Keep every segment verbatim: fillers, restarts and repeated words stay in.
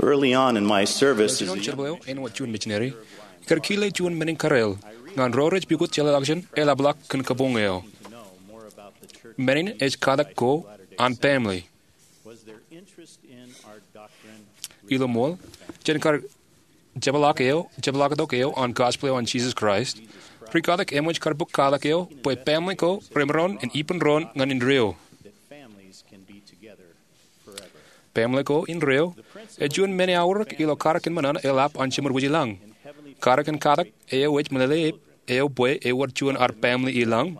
Early on in my service as a young missionary, ij kile juon men in kareel ñan ro rej pukot jeḷāḷọkjeṇ eḷapḷọk kōn kabuñ eo. Men in ej katak ko an pamle. Ilo ṃool, jān kar jepḷaaktok eo an gospel eo an Jesus Christ, rikatak eṃōj kar bōk katak eo bwe pamle ko remaroñ in ippān doon ñan indeeo. Pamle ko indeeo ej juon men eaorōk ilo katak in ṃōṇōṇō eḷap an Jemed wōj i lañ. Katak in katak eo ej meḷeḷe eo bwe ewōr juon ad pamle i lañ,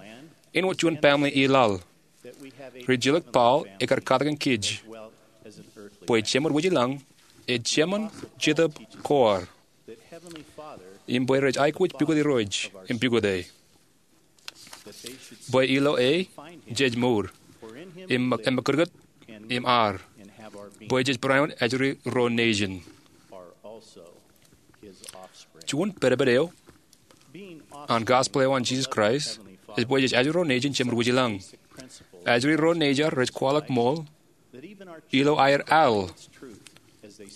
āinwōt juon pamle i laḷ. Rijilōk Paul ekar katakin kōj bwe Jemed wōj i lañ ej Jemān Jetōb Koar, im bwe rej aikuj pukot Irooj im pukot e, bwe ilo e jej mour im ṃōkūtkūt im ar, bwe jej bareinwōt ajri ro nejin. Juon pedped eo an gospel eo an Jesus Christ ej bwe jej ajri ro nejin Jemed wōj i lañ. Ajri ro nejier rej kwaḷọk ṃool ilo aer al,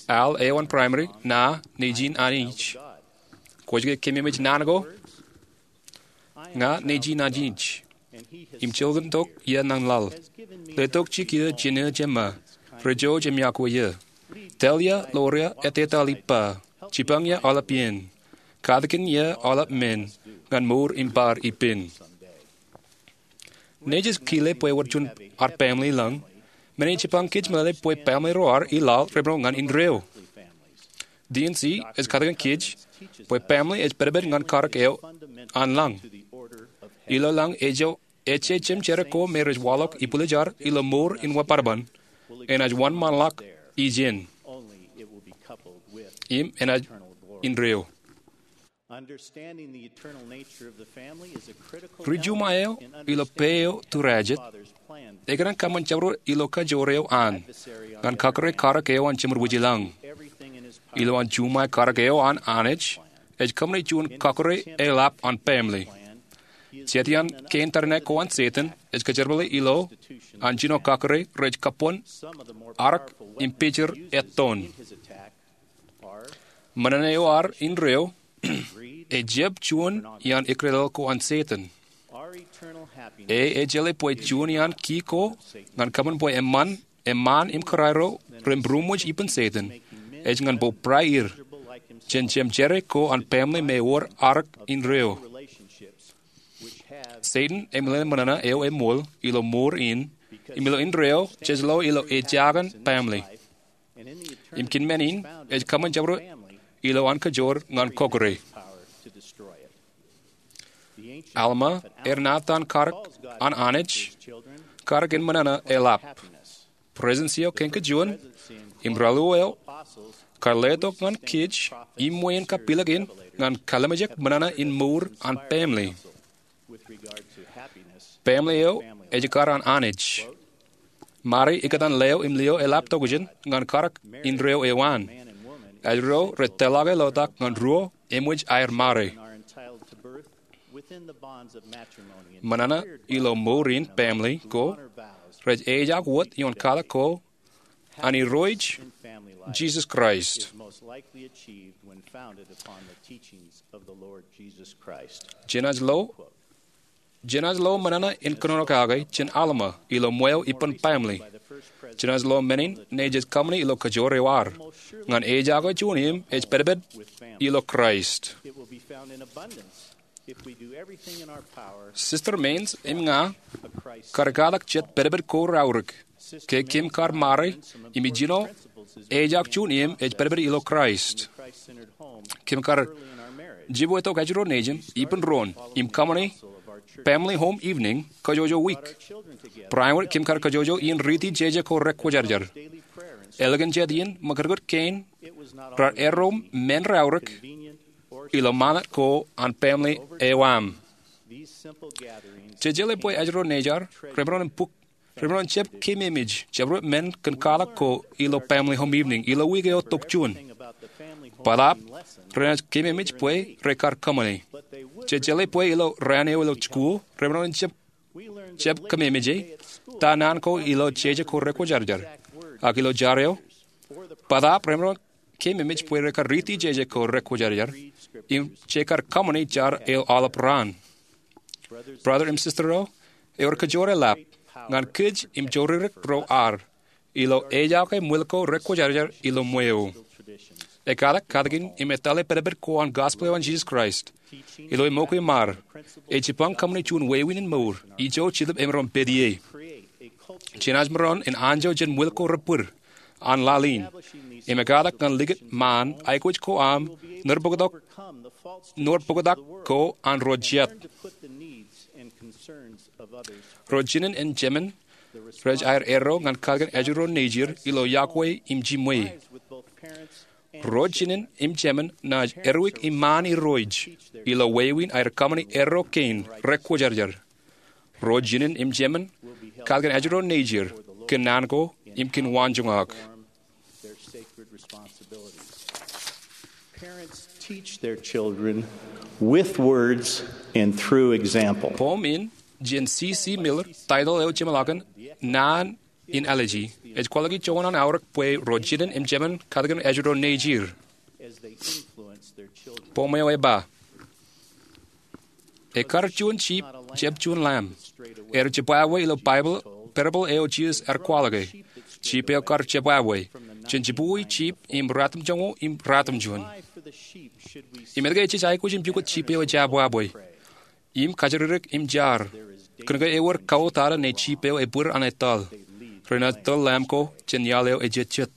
al eo an primary, ña nejin anij. Kwōj ke kememej naan ko? Ña nejin anij, im jilkintok ia ñan laḷ. Letok jiki eō jān eō jemā, rej jouj im yokwe eō. Tōl ia ḷoor ia ettetaḷ ippa. Jipañ ia aolep iien. Katakin ia aolep men ñan mour im bar ippān. Nejū ej kile bwe ewōr juon ad pamle i lañ. Men in jipañ kōj meḷeḷe bwe pamle ro ad i laḷ remaroñ ñan indeeo. D and C ej katakin kōj bwe pamle ej pedped ñan katak eo an lañ. Ilo lañ ej ejjeḷọk jemjerā ko me rej waḷọk ibwiljad ilo mour in wōnṃaanḷọk, enaaj wōnṃaanḷọk ijin. Im enaaj indeeo. Rijuṃae eo ilo pā eo tūrājet, ekōṇaan kōṃṃan jabdewōt ilo kajoor eo an ñan kakōrā katak eo an Jemed wōj i lañ. Ilowaan juṃae katak eo an Anij ej kōṃṃane juon kakōrā eḷap an pamle. Jet iaan kein tariṇae ko an Setan ej kōjerbale ilo an jino kakōrā rej kabuñ, arōk im pijir ettoon. Ṃōṇōṇō eo ad indeeo ej jab juon iaan ekrelel ko an Setan. E ej jeḷā bwe juon iaan ki ko ñan kōṃṃan bwe eṃṃan, eṃṃaan im kōrā ro ren būroṃōj ippān Setan ej ñan bōbrae er jān jemjerā ko an pamle me ewōr arōk indeeo. Setan eṃōṇōṇō eo eṃool ilo mour in im ilo indeeo jej lo ilo ejaakōn pamle. Im kōn men in ej kōṃṃan jabdewōt ilo an kajoor ñan kakōrā. Alma, ernaatan katak an Anij, katak in ṃōṇōṇō eḷap. Presidency eo kein kajuon im raelio eo kar letok ñan kōj iṃwe in kapilōk in ñan kalimjek ṃōṇōṇō in mour an pamle. Pamle eo ej ekkar an Anij. Mari ikōtaan leo im lio eḷap tokjān ñan katak indeeo eo an. Ajri ro rej tōlḷọke lotak ñan ruo eṃōj aer mari. Ṃōṇōṇō ilo mour in pamle ko rej ejaak wōt ioon katak ko an Irooj Jisōs Kraist. Jenaaj lo, jenaaj lo ṃōṇōṇō in kōnono kake jān Alma ilo ṃweo ippān pamle. Jenaaj lo men in nejej kōṃṃane ilo kajoor eo ad ñan ejaake juon im ej pedped ilo Kraist. Sister Maynes im ña kar katak jet pedped ko raorōk ke kōm kar mari im ijjino ejaak juon im ej pedped ilo Kraist. Kōm kar jibwetok ajri ro nejin ippān doon im kōṃṃane family home evening kōjwōjwo wiik. Bareinwōt kōm kar kōjwōjwo iien riiti jeje ko rekwōjarjar. Ālikin jet iien ṃōkūtkūt kein raar erro men raorōk ilo ṃanit ko an family eo aṃ. Jej jeḷā bwe ajri ro nejier remaroñ in bōk, remaroñ in jab kememej jabdewōt men kōn katak ko ilo family home evening ilo wiik eo tokjān. Bōtaab renaaj kememej bwe rekar kōṃṃane. Jej jeḷā bwe ilo raan eo ilo jikuuḷ remaroñ in jab, jab kememej ta naan ko ilo jeje ko rekwōjarjar. Ak ilo jar eo, bōtaab remaroñ keememej bwe rekar riiti jeje ko rekwōjarjar im jekar kōṃṃani jar eo aolep raan. Brother im sister eo, ewōr kajoor eḷap ñan kōj im joririk ro ad ilo ejake ṃwil ko rekwōjarjar ilo ṃweo. Ekkatak, katakin im etale pedped ko an gospel eo an Jesus Christ ilo eṃōkwe im ad, ej jipañ kōṃṃani juon wāween in mour ijo Jetōb emaroñ pād ie. Jenaaj maroñ in anjọ jān ṃwil ko rebōd an laḷ in im ekkatak ñan likūt ṃaan aikuj ko aṃ nōr bōktok ko an ro jet. Ro jinen im jemān rej aer erro ñan katakin ājiro nejir ilo iọkwe im jiṃwe. Ro jinen im jemān naaj erwik iṃaan irooj ilo wāween aer kōṃṃani erro kein rekwōjarjar. Ro jinen im jemān katakin ājiro nejir kōnnaan ko im kōn waanjoñak. Parents teach their children with words and through example. Poem in jān C C Miller, title eo jeṃḷọkin Naan in Ālije, ej kwaḷọk juon an aorōk bwe ro jinen im jemān katakin ājiro nejir. Poem eo ej ba, ekar juon jip jab juon lamb. Ear jibwābwe ilo Baibōḷ, parable eo Jisōs ear kwaḷọke. Jip eo kar jibwābwe jān jibukwi jip im ratimjuonñoul im ratimjuon. Im etke ejej aikuj in pukot jip eo ejabwābwe im kajjirdik im jar? Kōnke ewōr kautata ne jip eo ebwid an etal. Renaaj tōl lamb ko jān iaḷ eo ejejjet.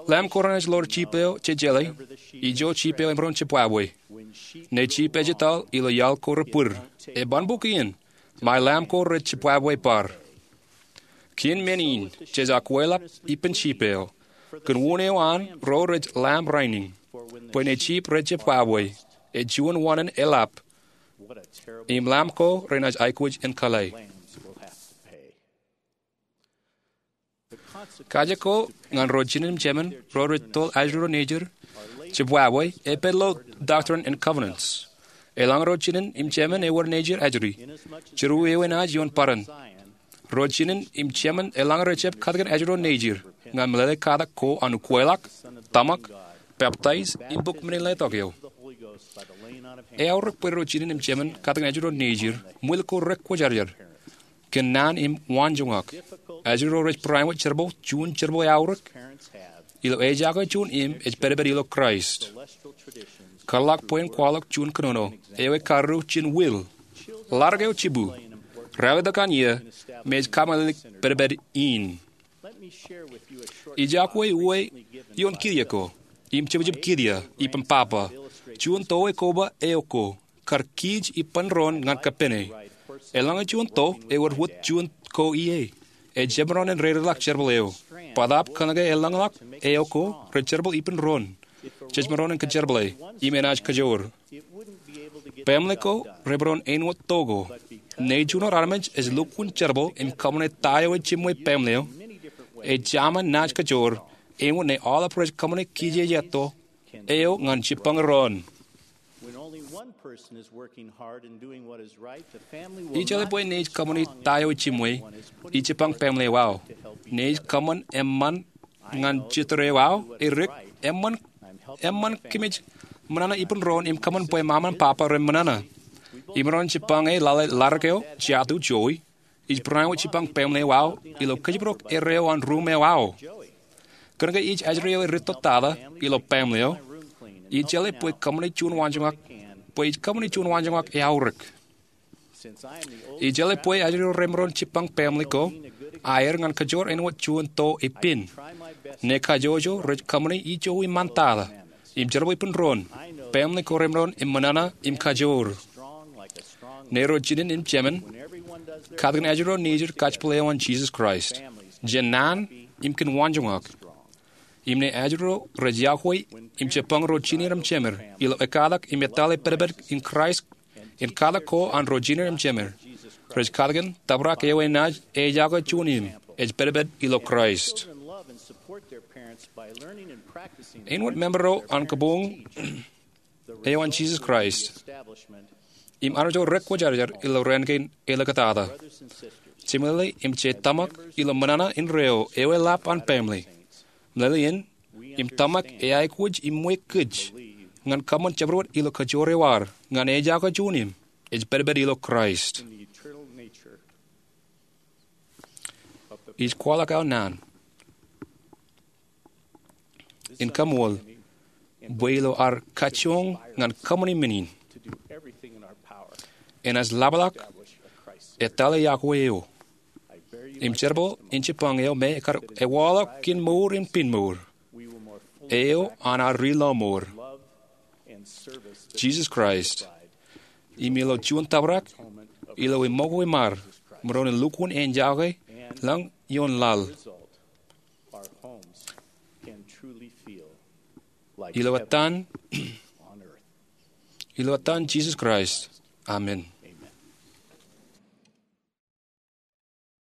Lamb ko renaaj ḷoor jip eo jejeḷā ijo jip eo emaroñ jibwābwe. Ne jip ejetaḷ ilo iaḷ ko rebwid, eban bōk iien ṃae lamb ko rej jibwābwe bar. Kien men in jej akwālọk ippān jip eo. Kōn unin eo an ro rej lamb rainin, bwe ne jip rej jibwābwe, ej juon waṇān eḷap im lamb ko renaaj aikuj in kōḷḷā. Kaje ko ñan ro jinen im jemān ro rej tōl ājiro nejir jibwābwe epād ilo Doctrine and Covenants. Eḷaññe ro jinen im jemān ewōr nejir ajri, jilu enaaj ioon bōran. Ro jinen im jemān eḷaññe rej jab katakin ājiro nejir ñan meḷeḷe katak ko an ukwālọk, tōmak, peptaij im bok men in letok eo. Eaorōk bwe ro jinen im jemān katakin ājiro nejir ṃwil ko rekwōjarjar kōn naan im waanjoñak. Ājiro rej bareinwōt jerbal, juon jerbal eaorōk ilo ejake juon im ej pedped ilo Kraist. Kōḷḷọk bwe in kwaḷọk juon kōnono eo ekkarū jān will. Ḷadik eo jibū, ralitōk an iiō, im ej kamaḷelik pedped in. Ij iọkwe uwe ioon kiiō ko im jebjeb kiiō, ippān papa, juon to eo koba eo ko kar kij ippān doon ñan kappene. Eḷaññe juon to ewōr wōt juon ko ie, ej jab maroñ in dedeḷọk jerbal eo. Bōtaab kōnke eḷañḷọk eo ko rej jerbal ippān doon, jej maroñ in kōjerbale im enaaj kajoor. Baaṃle ko remaroñ āinwōt to ko. Ṇe juon armej ej lukkuun jerbal im kōṃṃane ta eo ej jiṃwe baaṃle eo, ej jaṃa naaj kajoor āinwōt ṇe aolep rej kōṃṃane kijeje to eo ñan jipañ doon. Ijeḷā bwe ṇe ej kōṃṃane ta eo ej jiṃwe, ij jipañ baaṃle eo aō. Ṇe ej kōṃṃan eṃṃan ñan jitōl eo aō, edik eṃṃan, eṃṃan kōmij ṃōṇōṇō ippān doon im kōṃṃan bwe ṃaṃa im papa ren ṃōṇōṇō. Imaroñ jipañ e lale ḷadik eo, jatū, jowi. Ij bareinwōt jipañ baaṃle eo aō ilo kōjparok erreo an ruuṃ eo aō. Kōnke ij ajri eo edittottata ilo baaṃle eo, ijeḷā bwe kōṃṃane juon waanjoñak, bwe ij kōṃṃane juon waanjoñak eaorōk. Ijeḷā bwe ajri eo remaroñ jipañ baaṃle ko aer ñan kajoor āinwōt juon to epen. Ṇe kajjojo rej kōṃṃane ijo iṃaan tata im jerbal ippān doon, baaṃle ko remaroñ in ṃōṇōṇō im kajoor. Ṇe ro jinen im jemān katakin ājiro nejid kajepel eo an Jisōs Kraist jān naan im kōn waanjoñak. Im ṇe ājiro rej iọkwe im jipañ ro jined im jemed ilo ekkatak im etale pedped in Kraist in katak ko an ro jined im jemed, rej katakin tōprak eo enaaj ejako juon im ej pedped ilo Kraist. Āinwōt member eo an kabuñ eo an Jisōs Kraist im Anij eo rekwōjarjar ilo raan kein elikatata, jemān im jemān ilo ṃōṇōṇō in reo eo eḷap an baaṃle, meḷeḷein Im tōmak eaikuj im ṃweiuk kōj ñan kōṃṃan jabdewōt ilo kajoor eo ad ñan ejako juon im ej pedped ilo Kraist. Ij kwaḷọk aō naan in kaṃool bwe ilo ad kajjoñ ñan kōṃṃani men in, enaaj ḷapḷọk ettā yokwe eo im jerbal in jibboñ eo me ekar ewaḷọk kōn mour in pinemour, eo an ad ri-lọmọọr, Jisōs Kraist, im ilo juon tōprak ilo eṃṃakwe ṃad, maroñ in lukkuun ejako ḷọk ioon laḷ. Ilo etan Jisōs Kraist, amen.